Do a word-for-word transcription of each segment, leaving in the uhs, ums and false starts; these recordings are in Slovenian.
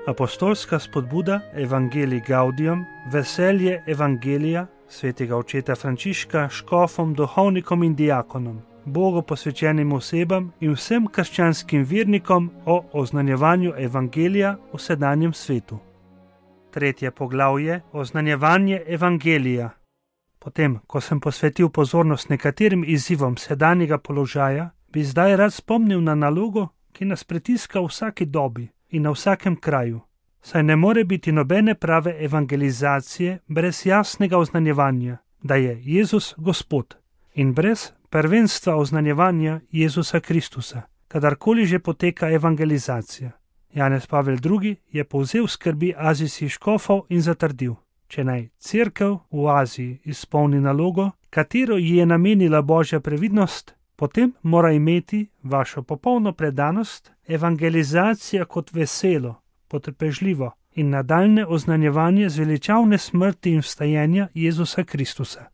Apostolska spodbuda Evangelii Gaudium, veselje Evangelija svetega očeta Frančiška škofom, duhovnikom in diakonom, Bogu posvečenim osebam in vsem krščanskim vernikom o oznanjevanju Evangelija v sedanjem svetu. Tretje poglavje, oznanjevanje Evangelija. Potem, ko sem posvetil pozornost nekaterim izzivom sedanjega položaja, bi zdaj rad spomnil na nalogo, ki nas pritiska v vsaki dobi in na vsakem kraju. Saj ne more biti nobene prave evangelizacije brez jasnega oznanjevanja, da je Jezus Gospod, in brez prvenstva oznanjevanja Jezusa Kristusa, kadarkoli že poteka evangelizacija. Janez Pavel drugi. Je povzel skrbi azijskih škofov in zatrdil: če naj cerkev v Aziji izpolni nalogo, katero ji je namenila Božja previdnost, potem mora imeti vašo popolno predanost, evangelizacija kot veselo, potrpežljivo in nadaljne oznanjevanje zveličavne smrti in vstajenja Jezusa Kristusa.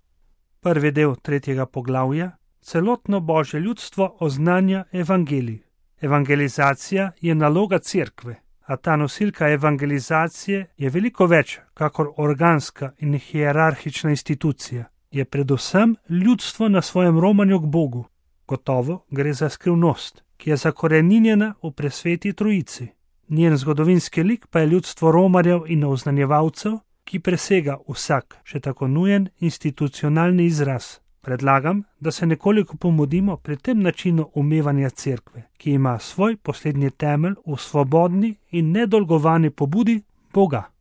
Prvi del tretjega poglavja, celotno Božje ljudstvo oznanja evangelij. Evangelizacija je naloga cerkve, a ta nosilka evangelizacije je veliko več kakor organska in hierarhična institucija. Je predvsem ljudstvo na svojem romanju k Bogu. Gotovo gre za skrivnost, ki je zakoreninjena v presveti trojici. Njen zgodovinski lik pa je ljudstvo romarjev in oznanjevalcev, ki presega vsak, še tako nujen institucionalni izraz. Predlagam, da se nekoliko pomodimo pri tem načinu umevanja cerkve, ki ima svoj poslednji temelj v svobodni in nedolgovani pobudi Boga.